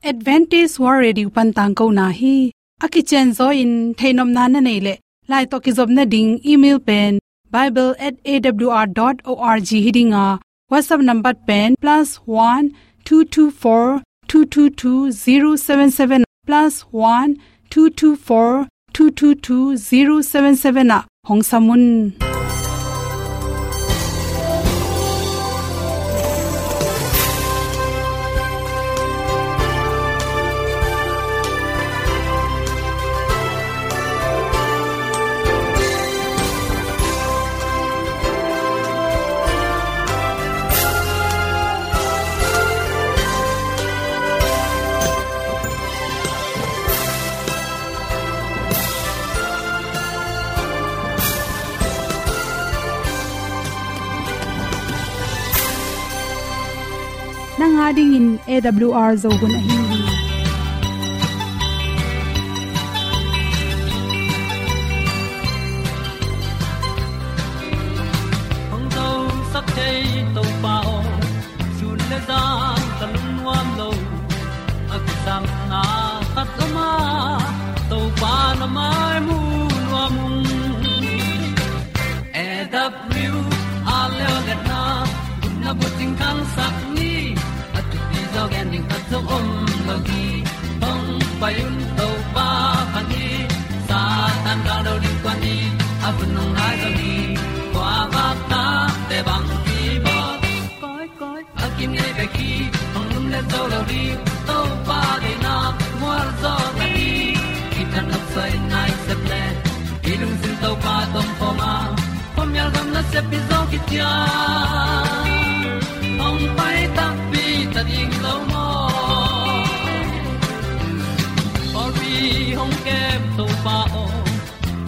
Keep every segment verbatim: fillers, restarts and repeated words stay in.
Adventist World Radio pan tangkona hi. A kicianzaw in theihnopna na neih leh, lai tawh kizopna ding email pen bible at A W R dot org hi ding a, WhatsApp number pen plus one two two four two two two zero seven seven, plus one two two four two two two zero seven seven ah hong sam un. Nang a dingin A W R Zo hun ahi hi. Hong zosak thei Topa aw, sun le zan ka lungnuam lo. A kisapna khat om a, Topa na mai mu nuam ung. A W R leo le na, gupna bucing khangsak ni. A thupi zaw gen ding khat zong om lo hi. Hong pai un Topa pha ni. Satan gal do ding kua ni. A hun hong nai zaw ni. Kua bak ta te bang ki bawt. Koi, koi, a kinei bek hi, hong lum le zo lo ding, Topa deihna mual zaw na hi. Kitang nok soi nai sep le, i lungsim Topa tawh om khawm a, khuamial gam nasep hi zaw kician. Hong pai takpi ta ding lo maw? Pawlpi hong kem Topa aw,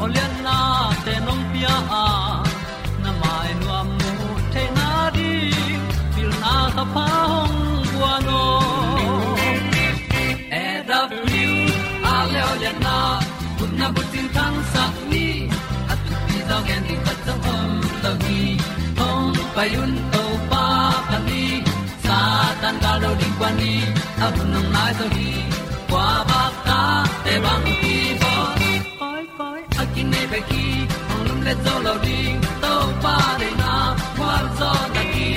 aw liannate nong pia a, na mai nuam mu theihna ding, pilna kha pha hong guan aw. A W R leo lianna, gupna bucing khangsak ni. A thupi zaw gen ding khat zong om lo hi. Hong pai un Topa pha ni. Satan gal do ding kua ni. A hun hong nai zaw hi. Kua bak ta te bang ki bawt. Koi, koi, a kinei bek hi, hong lum le zo lo ding, Topa deihna mual zaw na hi.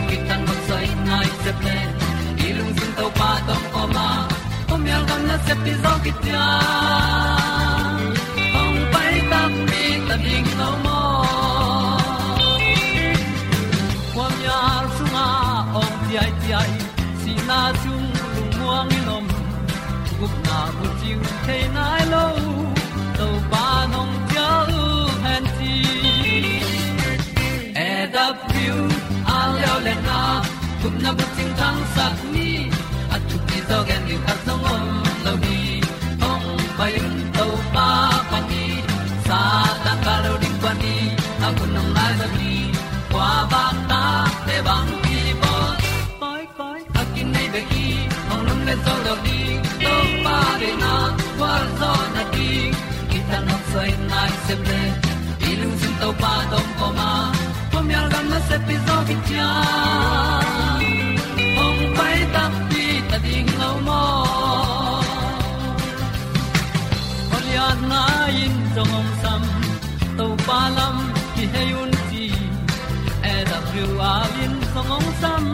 Kitang nok soi nai sep le, i lungsim Topa tawh om a, khuamial gam nasep hi zaw kician. Hong pai takpi ta ding lo maw? Khuamial sungah awng ciaiciai, sihna sung lungmuang in om, gupna bucing thei nai lo, Topa nong cial hen ci. A W R leo lianna, gupna bucing khangsak ni. A thupi zaw gen ding khat zong om lo hi. Hong pai un Topa pha ni. Satan gal do ding kua ni. A hun hong nai zaw hi. Kua bak ta te bang ki bawt. Koi, koi, a kinei bek hi, hong lum le zo lo ding, Topa deihna mual zaw na hi. Kitang nok soi nai sep le, i lungsim Topa tawh om a, khuamial gam nasep hi zaw kician. Hong pai takpi ta ding lo maw? Aw lianna in zong hong sam, Topa lam kihei un ci. A W R in zong hong sam,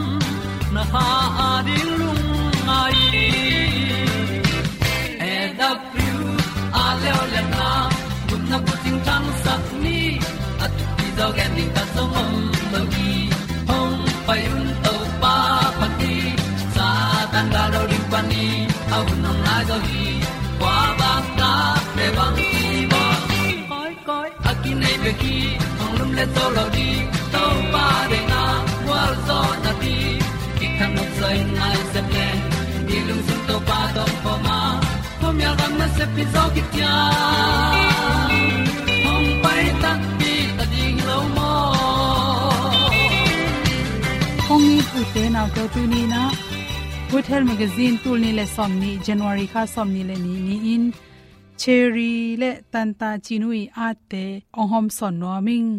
na kha a ding lungngai. A W R leo lianna, gupna bucing khangsak ni. A thupi zaw gen ding khat zong om lo hi. Hong pai un Topa pha ni. Satan gal do ding kua ni. A hun hong nai zaw hi. Kua bak ta te bang ki bawt. Koi, koi, a kinei bek hi, hong lum le zo lo ding, Topa deihna mual zaw na hi. Kitang nok soi nai sep le, i lungsim Topa tawh om khawm a, khuamial gam nasep hi zaw kician. Hong pai takpi ta ding lo maw? Hong it ute naute, tuni-in ah Good Health Magazine tul nih le sawmnih, January kha sawmnih le nih ni-in Cherry le Tanta Cinu ii atte hong hawmsawn nuam ing.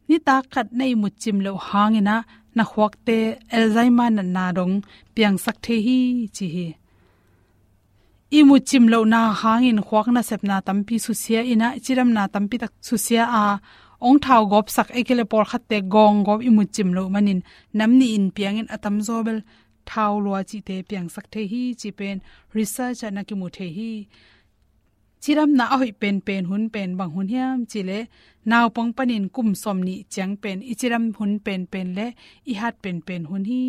Nitak khat na ihmut cim loh hangin ah na khuakte Alzheimer natna dong piangsak thei hi, ci hi. i mutcim lohna hangin khuak nasepna tampi susia in ah, cidamna tampi tak susia a, ong thau gawpsak, ei kei le pawlkhatte gawng gawp i mutcim loh manin nam nih in piangin a tamzaw bel thau lua cihte piangsak thei hi, ci pen research ah na kimu thei hi. Cidamna a hoih penpen hun pen bang hun hiam cih leh, naupang panin kum sawmnih ciang pen i cidam hun penpen le i hat penpen hun hi.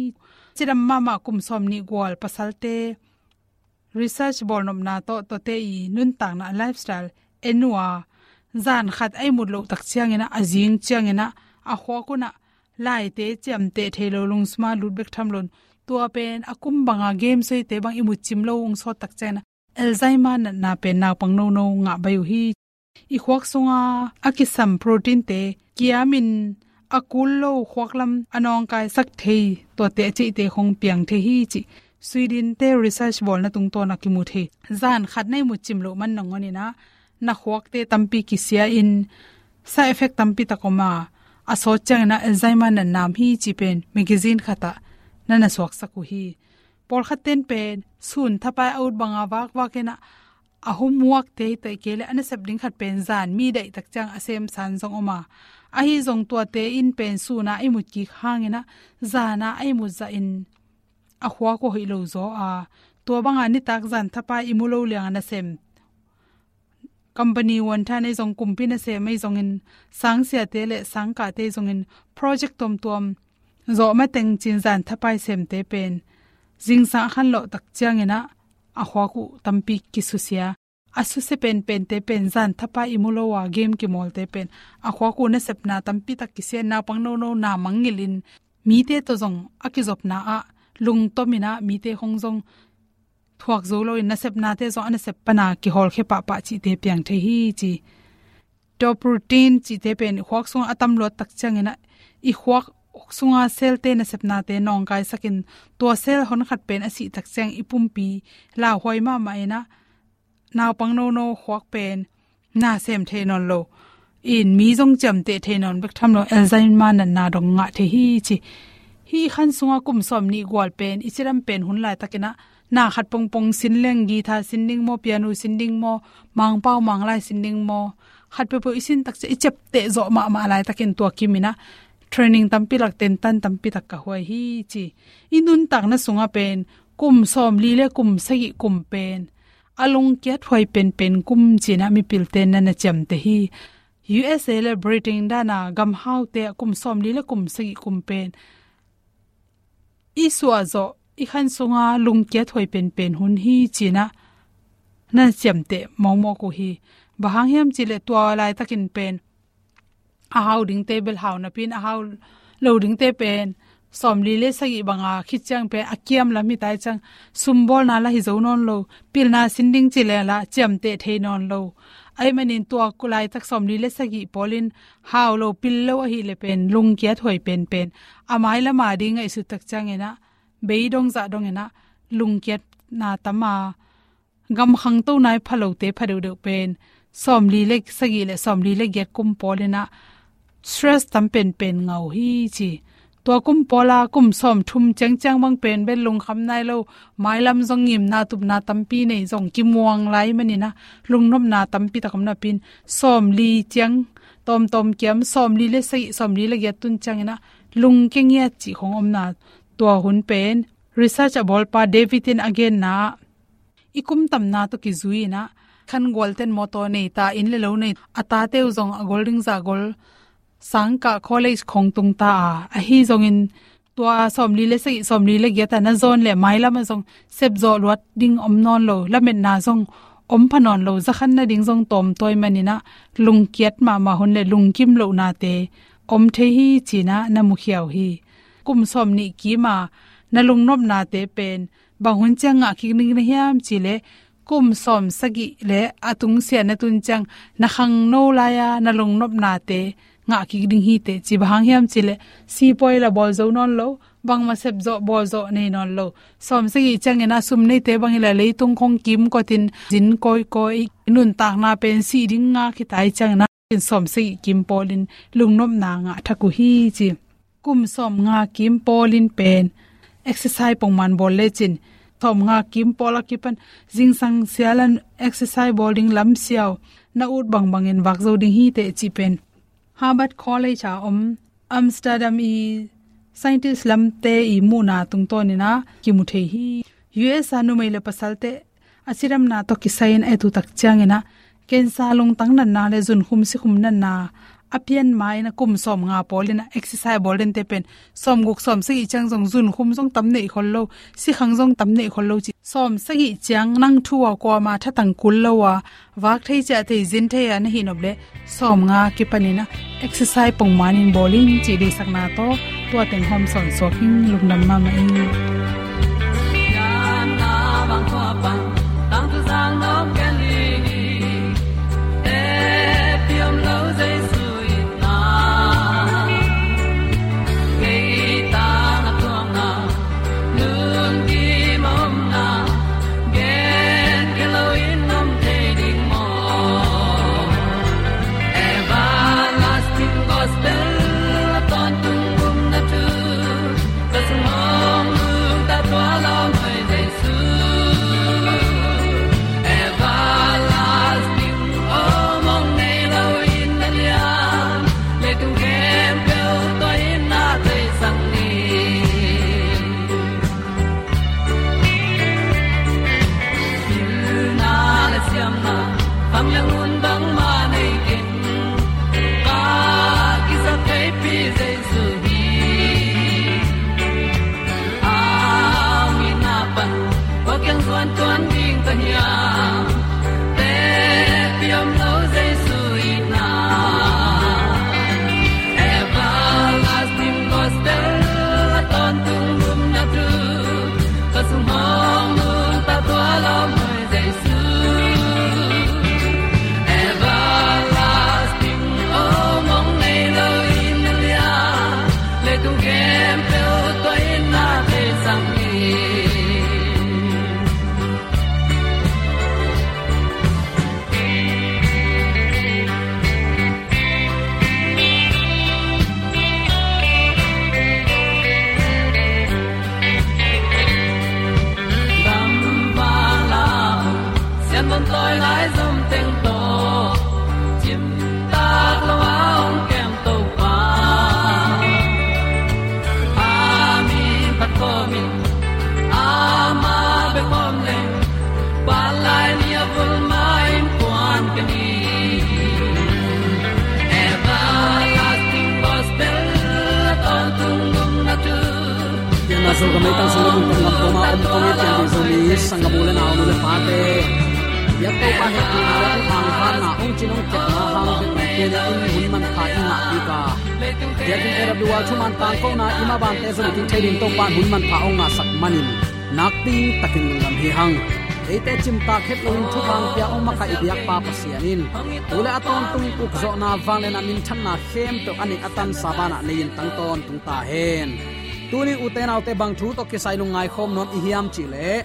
Cidam mahmah kum sawmnih gual pasalte research bawlnopna tawh, tuate i nuntakna, a lifestyle en uh a, zan khat a ihmut loh tak ciangin ah, a zing ciangin ah, a khuak un ah laite ciamteh thei lo, lungsum ah lut bek tham loin, tua pen a kum banga game suaite bang i mutcim lo ung sawt tak ciangin ah, Alzheimer natna pen naupang nono ngah baih uh hi. I khuak sunga a kisam protein te kiamin a kul lo khuak lam a nawngkaisak thei, tuate a cihte khong piang thei hi, cih Sweden te research bawlna tungtawn a kimu thei. Zan khat na ihmut cim loh man nangawn in ah, na khuakte tampi kisia in, side effect tampi tak om a, a sawt ciangin ah Alzheimer natna om hi, cih pen magazine khat ah na na suaksak uh hi. Pawlkhat ten pen sun thapai a ut banga vakvak in ah, a homework te hi, tua hi kei le a nasep ding khat pen zan mi daih tak ciang a sem san zong om a, ahi zong tuate in pen sun a ihmut kik hangin ah, zan a ihmut zahin a khuak uh hoih lo zaw a, tua banga nitak zan thapai i mu lo liang a nasem, company uan than ei zong, kumpi nasem ei zongin, sangsiate le sangkahte ei zongin, project tuamtuam zawh mateng cin zan thapai semte pen zingsang a khanlawh tak ciangin ah, a khuak uh tampi kisusia. A susia penpente pen zan thapai i mu lo a game kimawlte pen a khuak uh nasepna tampi tak kisia, naupang nono na mangngilh in, mite tawh zong a kizopna ah lungtom in ah, mite khong zong thuak zo loin, nasepnate zong a nasep pana kihawlkhia pahpah cihte piang thei hi, ci. Tua protein cihte pen i khuak sungah a tam luat tak ciangin ah, i khuak sunga cell te nasepnate nawngkaisakin, tua cell honkhat pen a sih tak ciang i pumpi lauhuai mahmah in ah, naupang nono khuak pen na sem thei nawn lo in, mi zong ciamteh thei nawn bek tham lo, Alzheimer natna dong ngah thei hi, ci. Hih khan sunga kum sawmnih gual pen i cidam pen hun laitakin ah, na khat pongpong sin leng, guitar sin ding maw, piano sin ding maw, mangpau manglai sin ding maw, khat peuhpeuh i sin tak ciang i ciapteh zawh mahmah laitakin tua kimin ah training tampi lak, tentan tampi tak ka huai hi, ci. I nuntakna sungah pen kum sawmli le kum sagih kum pen a lungkiat huai penpen kum ci-in ah mipilte na na ciamteh hi. U S A le Britain dana gamhaute ah kum sawmli le kum sagih kum pen i suah zawh, i khan sunga lungkiat huai penpen hun hi, ci-in ah na ciamteh mawkmawk uh hi. Bang hang hiam cih leh tua laitakin pen a hau dingte bel hau napi-in, a hau lo dingte pen sawmli le sagih banga khit ciang pen a kiam lam hi tai ciang, sumbawlna lah hi zo nawn lo, pilna sin ding ci leh lah ciamteh thei nawn lo. Ahih manin tua laitak sawmli le sagih pawlin hau lo, pil lo ahih leh pen lungkiat huai penpen, a mailam a ding ngaihsut tak ciangin ah, bei dong zah dongin ah lungkiatna tam a, gam khangto nai pha lote pha deuhdeuh pen sawmli le sagih le sawmli le giat kum pawlin ah stress tam penpen ngah uh hi, ci. Tua kum pawla kum sawmthum ciangciang bang pen bel lungkham nai lo, mailam zong ngimna tupna tampi nei, zong kimuang lai manin ah lungnopna tampi tak om napi-in, sawmli ciang tawmtawm kiam, sawmli le sagih, sawmli le giat tun ciangin ah lungkia ngiat cih khong omna, tua hun pen research a bawlpa David in a genna ah, i kum tamna tawh kizui in ah, khan gualten mawtaw nei ta, inn le lo nei, a tate uh zong a gol ding zah gol, sangkah college khong tung ta a, ahi zongin tua sawmli le sagih, sawmli le giat a na zawn leh mailam ah zong sepzawh luat ding om nawn lo, lametna zong om pha nawn lo, za khan nading zong tawmtawi manin ah lungkiat mahmah hun le lungkim lohnate om thei hi, ci-in ah na mukhia uh hi. Kum sawmnih kim a na lungnopnate pen bang hun ciang ngah kik ding na hiam cih leh, kum sawmsagih le a tungsiah na tun ciang na khangno lai-a na lungnopnate ngah kik ding hi teh, ci. Bang hang hiam cih leh sipuai lah bawl zo nawn lo, bangmah sepzawh bawlzawh nei nawn lo. Sawmsagih ciangin ah sum neite bangin lah leitung khong kimkotin zin kawikawi, nuntakna pen sih ding ngak hi tai ciangin ah, sawmsagih kim pawlin lungnopna ngah thak uh hi, ci. Kum sawmnga kim pawlin pen exercise pongman bawl lecin Sawmnga kim pawl a kipan zingsang sialan exercise bawl ding lamsiau na ut bangbangin vak zo ding hi teh cih pen Harvard College a om Amsterdam i scientist lamte i muhna tungtawnin a kimu thei hi. U S a numei le pasalte a cidamna tawh kisai-in a et uh tak ciangin a cancer lungtang natna le zunkhum sikhum natna a pian ma-in a kum sawmnga pawlin a exercise bawl dente pen sawmguk sawmsagih ciang zong zunkhum zong tam neih khol lo, sikhang zong tam neih khol lo ci. Sawmsagih ciang nang thu a kuama thatang kul lo a vak thei ciah thei zin thei a na hih nop leh sawmnga kipanin a exercise pongmanin bawl in cih deihsakna tawh tua teng hawm sawnsuak in lungdam mahmah in. Everlasting gospel a tawntung gumna thu ka sung hong nungta tua lawm hoi Jesu. Everlasting om hong nei lo in na lian, leitung khempeuh tua in na theisak ni. Pilna le siamna, khang le hun bangmah nei keng, ka kisa theipi Jesu hi. Au ina pan, kua kiang zuan tuan ding ka hiam, te piam lo Jesu ina. Everlasting gospel a tawntung gumna thu ka sung hong nungta tua lawm hoi Jesu. Everlasting om hong nei lo in na lian, leitung khempeuh tua in na theisak ni. Dam vala sian don toi lai zom teng tawh cimtak lo a hong kem Topa. A min phat kawmin ama bek om leng, palai ni a vul ma in puan ka ni. Everlasting gospel a tawntung gumna thu. Pianna Zogam leitang sung le kum kong lam kong a om kong i pian ding Zomi sanggam u le nau, nu le pate. Biak Topa hehpihna le hong hangkhatna, hong cin hong kepna hang bek tuni in hun manpha i ngah kik a. Biakinn A W R thuman tangkona i mabante zong i kik thei ding Topa in hun manpha hong ngahsak manin nakpi takin lungdam hi hang. Eite cimtak het loin thupha hong pia hong makaih i biakpa Pasian in tu le a tawntung ukzawhna, vangliatna, minthanna khempeuh a neih a tansa banah nei in tang tawntung ta hen. Tuni ute naute bang thu tawh kisai lungngai khawm nuam i hiam cihleh,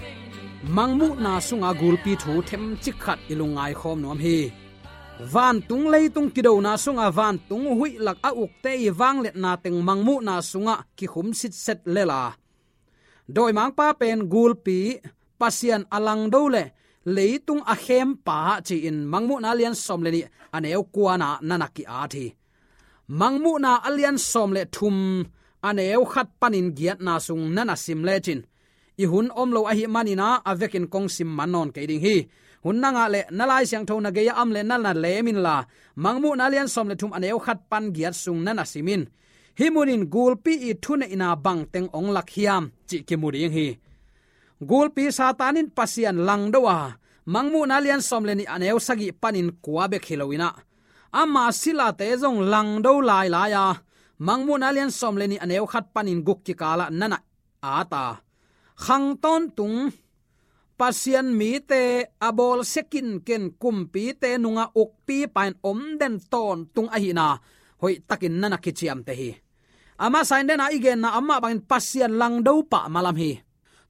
Mangmuhna sunga gulpi thu themcik khat i lungngai khawm nuam hi. Vantung leitung kidona sunga vantung huih lak a ukte i vangliatna teng Mangmuhna sungah kikhum sitset lel a, dawimangpa pen gulpi, Pasian a langdo le leitung a khempa ci-in Mangmuhna lian sawm le nih a neu kuana na na ki-at hi. Mangmuhna a lian sawm le thum a neu khat panin giatna sung na na sim lecin i hun om lo ahih manin a vekin kong sim man nawn kei ding hi. Hun na ngah leh na Lai Siangtho na gei a om leh na na lem inla, Mangmuhna lian sawm le thum a neu khat pan giat sung na na sim in. Hih munin gulpi i thuneihna bangteng hong lak hiam cih kimu ding hi. Gulpi Satan in Pasian langdo a, Mangmuhna lian sawm le nih a neu sagih panin kua bek hi loin a, ama silate zong langdo lailai a, Mangmuhna lian sawm le nih a neu khat panin guk kikalah na na at a, khang tawntung Pasian mite a bawlsia kinken kumpite nungah ukpipa in om den tawntung ahihna hoihtakin na na kiciamteh hi. A masa in dena i genna amah bangin Pasian langdo pah malam hi.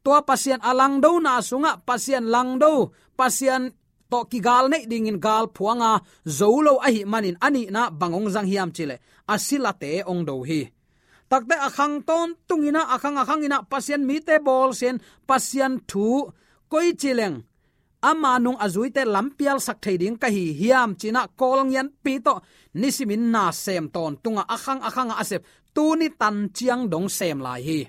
Tua Pasian a langdona sungah Pasian langdo, Pasian tawh kigal neih dingin galphuanga zo lo ahih manin a nihna bang hong zang hiam cihleh a silate hong do hi. Takte a khang tawntung inah, a khang a khang inah Pasian mite bawlsia in Pasian thu koi ci leng ama nung a zuite lampialsak thei ding ka hi hiam ci inah Kawl ngianpi tawh nisimin na sem tawntung a, a khang a khang a sep, tuni tan ciang dong sem lai hi.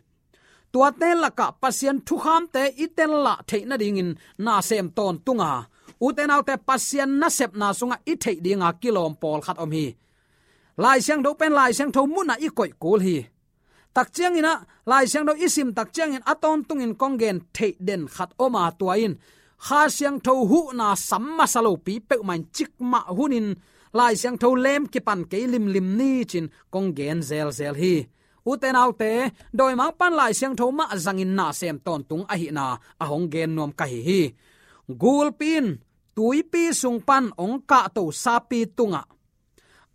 Tuate lakah Pasian thukhamte i tellah theih nadingin na sem tawntung a, ute naute, Pasian nasepna sungah i theih dinga kilawm pawlkhat om hi. Lai Siangtho pen Lai Siangtho munah i koih kul hi. Tak cianginah Lai Siangtho i sim tak ciangin a tawntungin kong gen theih den khat om a, tua in Kha Siangtho huhna sam masa lopi peuhmah in cikmah hunin Lai Siangtho lem kipan kei limlim ni ci-in kong gen zelzel hi. Ute naute, dawimangpa'n Lai Siangtho mah zangin na sem tawntung ahihna a hong gen nuam ka hi hi. Gulpi in tuipi sung pan hong kahto sapi tungah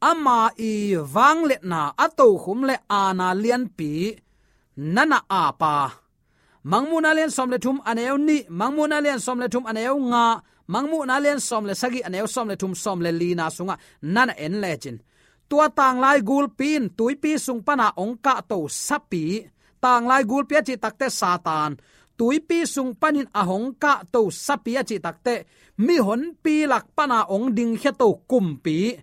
ama i vangliatna, a tokhum le aana lianpi na na ap a, Mangmuhna lian sawm le thum a neu nih, Mangmuhna lian sawm le thum a neu nga, Mangmuhna lian sawm le sagih a neu sawm le thum, sawm le lina sungah na na en lecin, tua tanglai gulpi in tuipi sung pana hong kahto sapi, tanglai gulpi a cih takte Satan, tuipi sung panin a hong kahto sapi a cih takte mihonpi lak pana hong dingkhia to kumpi,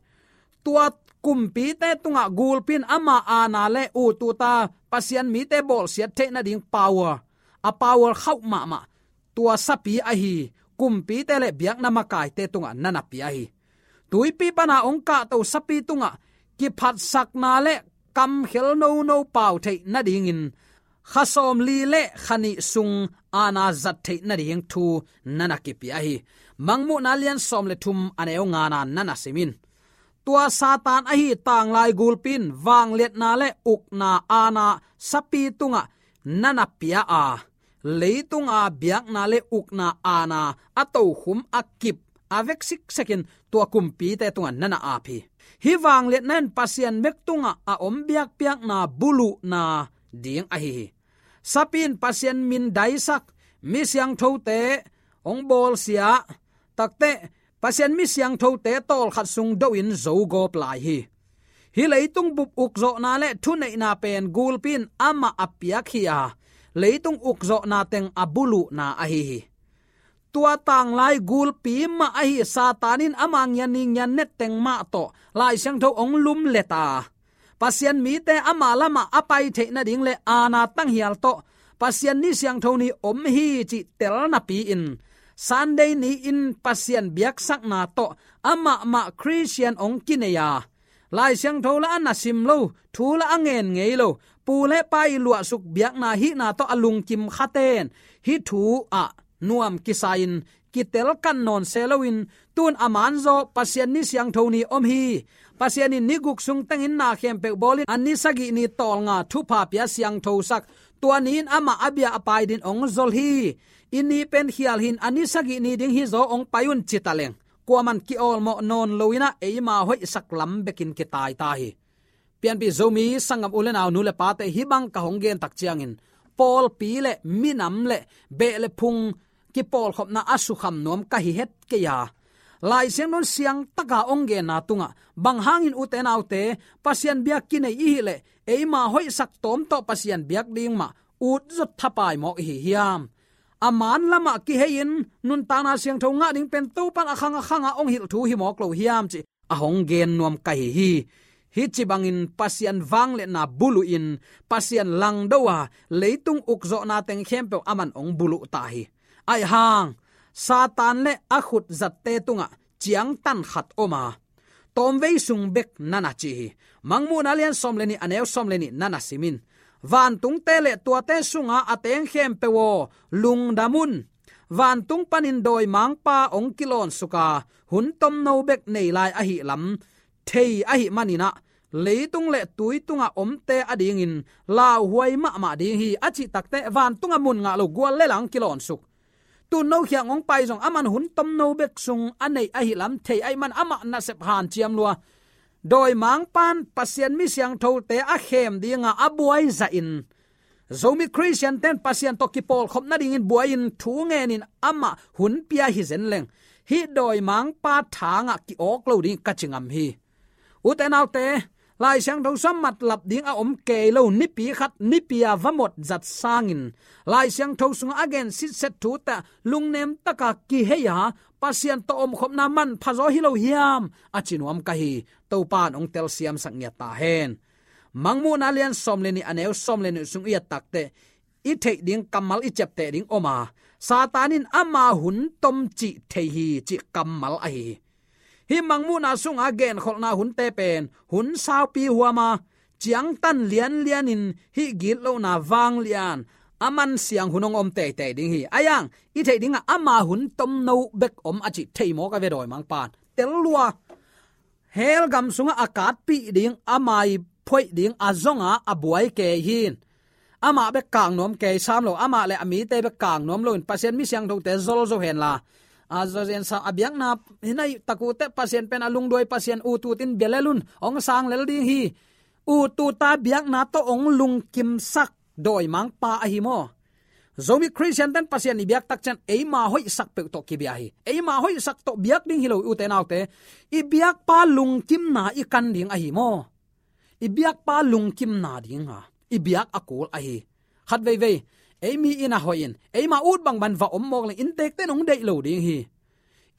tua kumpite tungah gulpi in ama aana le ut uta Pasian mite bawlsiat theih nading power, a power khauh mahmah, tua sapi ahi kumpite le biakna makaite tungah na na pia hi. Tuipi pana hong kahto sapi tungah kiphatsakna le kamkhel nono pau theih nadingin kha sawmli le kha nih sung aana zat theih nading thu na na kipia hi. Mangmuhna lian sawm le thum a neu ngana na na sim in, tua Satan ahi tanglai gulpi in vangliatna le ukna aana sapi tungah na na pia a, leitunga biakna le ukna aana a tokhum a kip a vek siksekin tua kumpite tungah na na ap hi. Hih vangliatna in Pasian bek tungah a om biakpiakna buluhna ding ahi hi. Sapi in Pasian min daisak mi siangthote hong bawlsia, takte Pasian mi siangthote tawlkhat sung dohin zogawp lai hi. Hih leitung bup ukzawhna le thuneihna pen gulpi in amah a piak hi a, leitung ukzawhna teng a buluhna ahi hi. Tua tanglai gulpi mah ahi Satan in ama ngian ni ngian net teng mah tawh Lai Siangtho hong lumlet a, Pasian mite ama lamah a pai theih nading le aana tanghial tawh Pasian ni siangtho ni om hi cih tel napi-in Sunday ni-in Pasian biaksakna tawh amahmah Khristian hong kinei a, Lai Siangtho la a na sim lo, thu la a ngen ngei lo, pu le pa i luahsuk biakna hihna tawh a lungkim khaten hih thu ah nuam kisa-in kitel kan nawn se loin, tun a manzaw Pasian ni siangtho ni om hi. Pasian in ni guk sung tengin na khempeuh bawlin a ni sagih ni tawlnga thupha pia siangthosak, tua ni-in amah a bia a pai din hong zol hi. I ni pen khial hi-in a ni sagih ni ding hi zaw hong pai un ci ta leng, kuaman ki-awlmawh nawn loinah eima hoihsak lam bekin kitaita hi. Pianpih Zomi sanggam u le nau, nu le pate, hih bang ka hong gen tak ciangin pawlpi le minam le beh le phung kipawlkhopna a sukham nuam ka hi het kei a, Lai Siangtho in siangtaka hong genna tungah bang hangin ute naute Pasian biak kinei i hih leh eima hoihsak tawm tawh Pasian biak ding mah utzot thapai mawk i hi hiam? A man lamah kihei-in nuntakna siangtho ngah ding pen Topan a khang a khangah hong hilh thu hi mawk lo hiam cih a hong gen nuam ka hi hi. Hih ci bangin Pasian vangliatna buluhin Pasian langdo a, leitung ukzawhna teng khempeuh aman hong buluh ta hi. Aihang Satan le a khutzatte tungah ciangtan khat om a, tawmvei sung bek na na ci hi. Mangmuhna lian sawm le nih a neu sawm le nih na na sim in, vantungte le tuate sunga a teng khempeuh aw, lungdam un. Vantung panin dawimangpa hong kilawnsuk a, hun tomno bek nei lai ahih lam thei ahih maninah leitung le tui tungah omte adingin lauhuai mahmah ding hi a cih takte, vantungah mun ngah lo gual le lang kilawnsuk, tun no khiang hong pai zong aman hun tomno bek sung a neih ahih lam thei ahih man amah nasep hanciam lua. Dawimangpa'n Pasian mi siangthote a khem dinga a buai zahin, Zomi Khristiante'n Pasian tawh kipawlkhop nadingin buai-in thu ngenin amah hun pia hi zen leng, hih dawimangpa thangah ki-awk lo ding ka ci ngam hi. Ute naute, Lai Siangtho sungah matlap ding a om kei lo, nipi khat nipi a va mawk zat sangin Lai Siangtho sungah a gen sitset thute lungnem taka kihei a, Pasian tawh omkhopna manpha zaw hi lo hiam, a ci nuam ka hi. Topa in hong telsiamsak ngiat ta hen. Mangmuhna lian sawm le nih, a neu sawm le nih sung i et takteh, i theih ding kammal i ciapteh ding om a, Satan in ama hun tom cih thei hi, cih kammal ahi hi. Hih Mangmuhna sunga genkholhna hunte pen hun saupi huam a, ciangtan lianlianin hih gitlohna vanglian a mansiang hun hong om teitei ding hi. Ahi zongin i theih dingah ama hun tomno bek om a cih thei mawk a ve, dawimangpa in tel lua. Hell gam sungah a katpih ding, ama i phoih ding a zong a, a buai kei hi. Amah bek kang nuam kei sam lo, amah le a mite bek kang nuam loin Pasian mi siangthote zol zo hen la, a zo zen sa a biakna hi nai tak uh teh Pasian pen a lungduai Pasian, ut utin bia lel un, hong sang lel ding hi. Ut uta biakna tawh hong lungkimsak dawimangpa ahi maw. Zomi Khristian ten Pasian i biak tak ciang eima hoihsak peuh tawh kibia hi. Eima hoihsak tawh biak ding hi lo, ute naute. I biakpa lungkimna i kan ding ahi maw. I biakpa lungkimna ding a i biak a kul ahi. Khat veivei, ei mi inn ah hoih in, eima ut bangbang va om mawk leng inntekte in hong deih lo ding hi.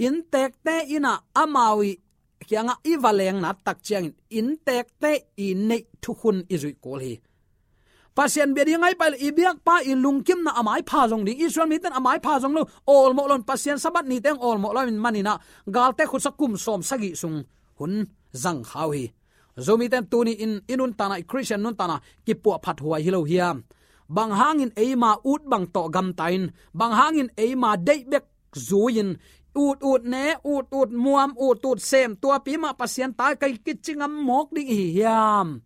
Inntekte in ah amau i kiangah i va leng nat tak ciangin inntekte i neih thukhun i zuih kul hi. Pasian bia ding a i pai leh i biakpa i lungkimna a maipha zong ding, Israel mite in a maipha zong lo, awlmawh lo in, Pasian Sabbath nite hong awlmawh lo in, manin ah galte khutsak kum sawm sagih sung hun zang kha uh hi. Zomite in tuni in i nuntakna, i Khristian nuntakna kipuahphat huai hi lo hiam? Bang hangin eima ut bang tawh gamta in, bang hangin eima deih bek zui-in, ut ut ne, ut ut muam, ut ut sem, tuapi mah Pasian ta ka hi kici ngam mawk ding i hi hiam?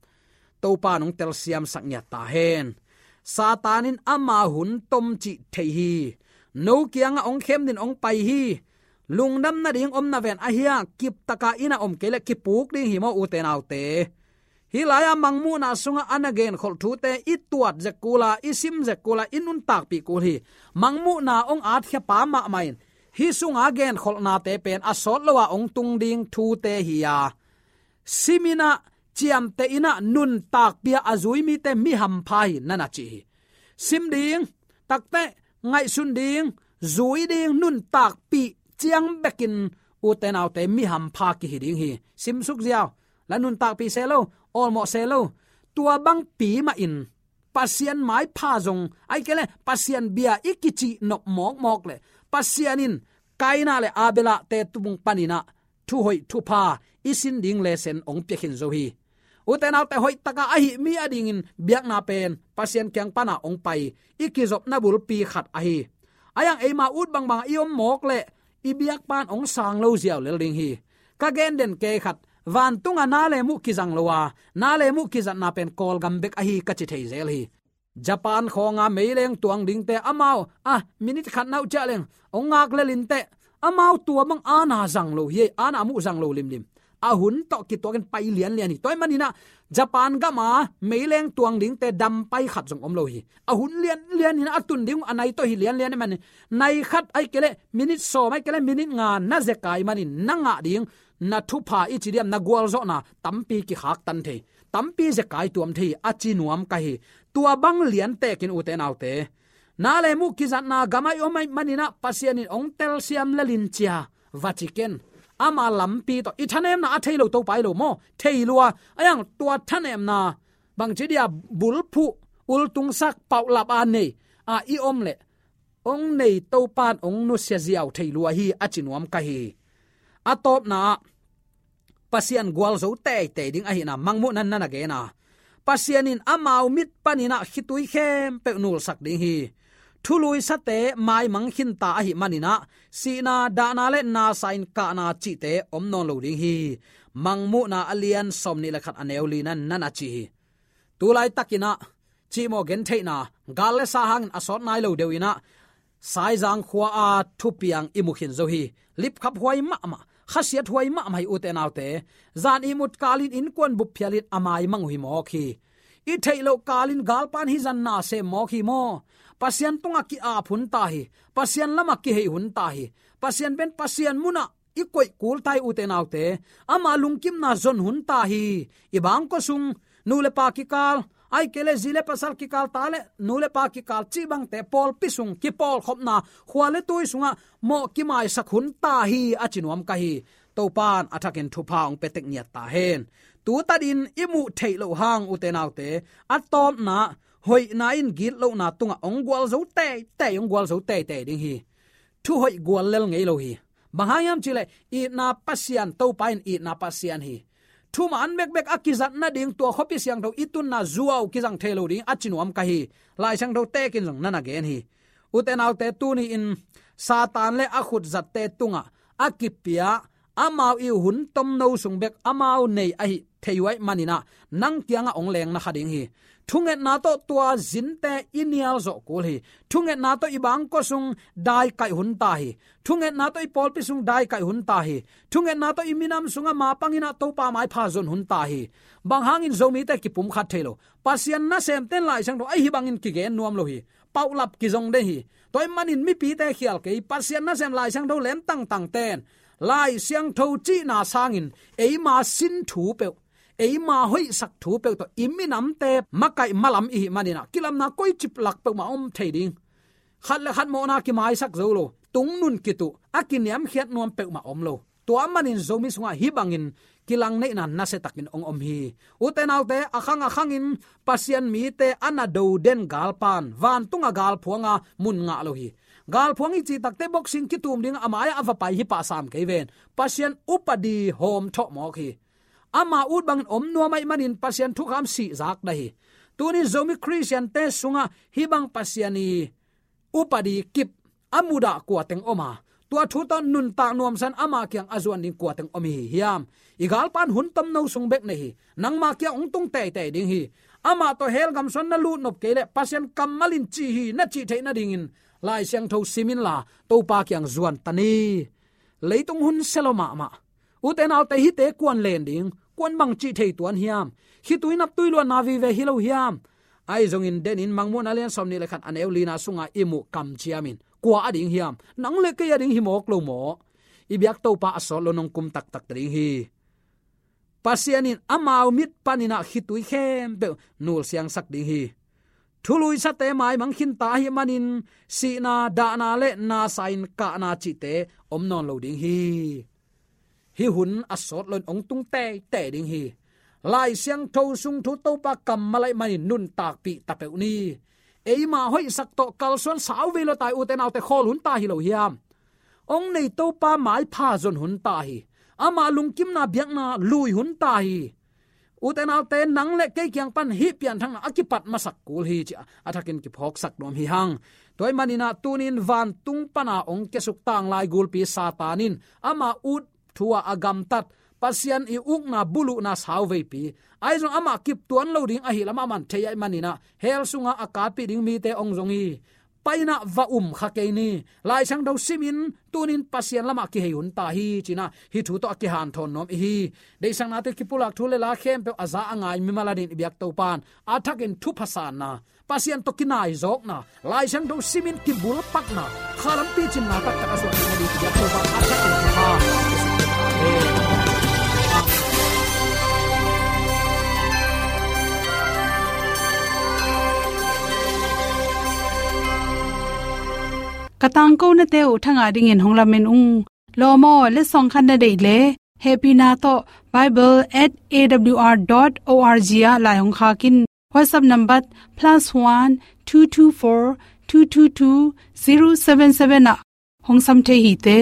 Topa in hong telsiamsak ngiat ta hen. Satan in ama hun tom cih thei hi. No kiangah hong khem dingin hong pai hi. Lungdam nading om na ven, ahi a kiptaka inn ah om kei leh kipuk ding hi maw, ute naute. Hih lai-a Mangmuhna sungah a na genkholh thute i tuat zek kul a, i sim zek kul a, i nuntakpih kul hi. Mangmuhna hong atkhia pa mahmah in hih sunga genkholhnate pen a sawt lo a hong tung ding thute hi a, sim in ah ciamteh in ah nuntakpih a zui mite mi hampha hi, na na ci hi. Sim ding, takteh ngaihsun ding, zui ding, nuntakpih ciang bekin, ute naute, mi hampha kihi ding hi. Simsuk ziau, la nuntakpih se lo, awlmawh se lo. Tua bangpi mahin Pasian maipha zong, ahih kei leh Pasian bia i kicih nop mawkmawk leh, Pasian in Kaina le Abela te tung panin ah thuhoih thupha i sin ding lesson hong pia khin zo hi. Ute naute, hoih taka ahih mi adingin biakna pen Pasian kiang pana hong pai i kizopna bulpi khat ahi. Ahi zongin eima ut bangbang i om mawk leh i biakpa in hong sang lo ziau lel ding hi. Ka gen den kei khat, vantunga na le muh kizang lo a, na le muh kizatna pen Kawlgam bek ahi ka ci thei zel hi. Japan khawnga meileng tuang dingte amau, ah, minit khat na uh ciah leng hong ngak lel inteh, amau tua bang ana zang lo hi, ana muh zang lo limlim. A hun tawh kituakin pai lianlian hi. Tua ahih manin ah Japan gama meileng tuang dingte dam pai khat zong om lo hi. A hun lianlian in a tun ding uh a nai tawh hi lianlian ahih manin, nai khat ahih kei leh minit sawm, ahih kei leh minit nga na zekai manin na ngah ding, na thupha i ci diam, na gualzawhna tampi kikhaktan thei, tampi zekai tuam thei a ci nuam ka hi. Tua bang liantekin, ute naute, na le muh kizatna gam ah i om ahih manin ah Pasian in hong telsiam lel in cia va ci ken. Ama lampi tawh i thanemna a thei lo Topa hi lo maw, thei lua. Ahi zongin tua thanemna bangci dia bulphuh, ultungsak, paulap a nei a i om leh hong nei Topa in hong nusia ziau thei lua hi a ci nuam ka hi. A tawpna ah Pasian gualzo teitei ding ahihna Mangmuhna in na na gen a, Pasian in amau mit panin ah khitui khempeuh nulsak ding hi. Thuluisate maimang khinta ahih manin ah sihna, dahna le nasa in kahna cihte om nawn lo ding hi. Mangmuhna a lian sawmnih le khat, a neu lina in na na ci hi. Tulaitakin ah cihmawh gentheihna, gal le sa hangin a sawt nai lo deuh in ah Saizang khua-a thupiang i mu khin zo hi. Lipkhap huai mahmah, khasiat huai mahmah hi, ute naute. Zan ihmut kalin innkuan bup phialin a maimang uh hi mawk hi. I theih loh kalin galpa in hih zan na sem mawk hi maw. Pasian tungah ki-ap hun ta hi. Pasian lamah kihei hun ta hi. Pasian pen Pasian munah i koih kul ta hi, ute naute. Ama lungkimna zon hun ta hi. I bangkua sung nu le pa kikal, ahih kei leh zi le pasal kikal, ta le nu le pa kikal cih bangte pawlpi sung kipawlkhopna, khua le tui sungah mawh kimaisak hun ta hi, a ci nuam ka hi. Topa'n a thakin thupha hong pia tek ngiat ta hen. Tutakin i muh theih loh hang, ute naute, a tawpna, hoihna in gitlohna tungah hong gualzo teitei, hong gualzo teitei ding hi. Thuhoih gual lel ngei lo hi. Bang hang hiam cih leh itna Pasian, Topa in itna Pasian hi. Thuman bekbek a kizat nading, tua khuapi siangtho i tunna zuau kizang thei lo ding, a ci nuam ka hi. Lai Siangtho tekin zong na na gen hi. Ute naute, tuni-in Satan le a khutzatte tungah a kipia, amau i hun tomno sung bek amau nei ahi thei uh ahih manin ah, nang kiangah hong leng na kha ding hi. Thungetna tawh tua zinte i nial zawh kul hi. Thungetna tawh i bangkua sung daikaih hun ta hi. Thungetna tawh i pawlpi sung daikaih hun ta hi. Thungetna tawh i minam sungah mapangin ah Topa maipha zon hun ta hi. Bang hangin Zomite kipumkhat thei lo? Pasian nasemte'n Lai Siangtho ah hih bangin kigen nuam lo hi. Paulap kizong den hi. Tua ahih manin mipite khial kei, Pasian nasem Lai Siangtho lem tangtangte'n Lai Siangtho cihna sangin eima sin thu peuh, eima hoihsak thu peuh tawh i minamte makaih malam i hih manin ah, kilamna koici lak peuhmah om thei ding. Khat le khat mawhna kimaisak zo lo, tungnun kituh, a kiniamkhiat nuam peuhmah om lo. Tua manin Zomi sungah hih bangin kilangneihna nasiatakin hong om hi. Ute naute, a khang a khangin Pasian mite a na do den galpa'n, vantung a galphuanga mun ngah lo hi. Galphuang i cih takteh boxing kitum ding a mai-ah a va pai hi pah sam kei ven. Pasian upadi hawm thawh mawk hi. Ama ut bangin om nuam ahih manin Pasian thukham sihzak dah hi. Tuni Zomi Khristiante sungah hih bang Pasian i upadi kip a mudah kua teng om a, tua thu tawh nuntak nuamsa-in ama kiang a zuan ding kua teng om hi hiam? I galpa'n hun tomno sung bek nei hi. Nangma kiang hong tung teitei ding hi. Amah tawh hell gam sung na lut nop kei leh Pasian kammal in ci hi, na cih theih nadingin Lai Siangtho sim inla, Topa kiang zuan ta ni. Leitung hun sia lo mahmah. Ute naute, hihte kua'n len ding, kua'n bangci thei tuan hiam? Khitui naptui luanna vive hi lo hiam? Ahi zongin denin Mangmuhna lian sawmnih le khat, a neu lina sungah i muh kamciam in, kua a ding hiam? Nang le kei a ding hi mawk lo maw? I biak Topa a sawt lo nong kum taktak ta ding hi. Pasian in amau mit panin ah khitui khempeuh nulsiangsak ding hi. Thuluisate maimang khinta ahih manin sihna, dahna le nasa-in kahna cihte om nawn lo ding hi. Hih hun a sawt loin hong tung teitei ding hi. Lai Siangtho sung thu Topa kammal ahih manin nuntakpih ta peuh ni. Eima hoihsak tawh kalsuan sauvei lo ta hi, ute naute, khawl hun ta hi lo hiam? Hong nei Topa maipha zon hun ta hi. Ama lungkimna biakna lui hun ta hi. Ute naute, nang le kei kiang pan hih pianthakna a kipat masak kul hi, ci-a a thakin kiphawksak nuam hi hang. Tua ahih manin ah tunin vantung pana hong kiasuk tanglai gulpi Satan in ama ut thu-a a gamtat Pasian i ukna buluhna sauveipi, ahi zong amah kip tuan lo ding ahi lam a man thei ahih manin ah hell sungah a katpih ding mite hong zong hi. Pai-in ah va um kha kei ni. Lai Siangtho simin tunin Pasian lamah kihei hun ta hi, ci-in ah hih thu tawh a kihanthawn nuam i hi. Deihsaknate kipulak thu le la khempeuh a za a ngai mimal adingin i biak Topa'n a thakin thupha sanna, Pasian tawh kinaizawkna, Lai Siangtho simin kibulpakna, khalam picinna taktak a suah ding a ding i biak Topa'n a thakin thupha. Amen. Ka tangkonate uh thangah dingin hong lamen ung. Lawm aw, letsong khat na deih leh hehpihna tawh bible at A W R dot O R G ah lai hong khak in. WhatsApp number plus one two two four two two two zero seven seven ah hong sam thei hi te.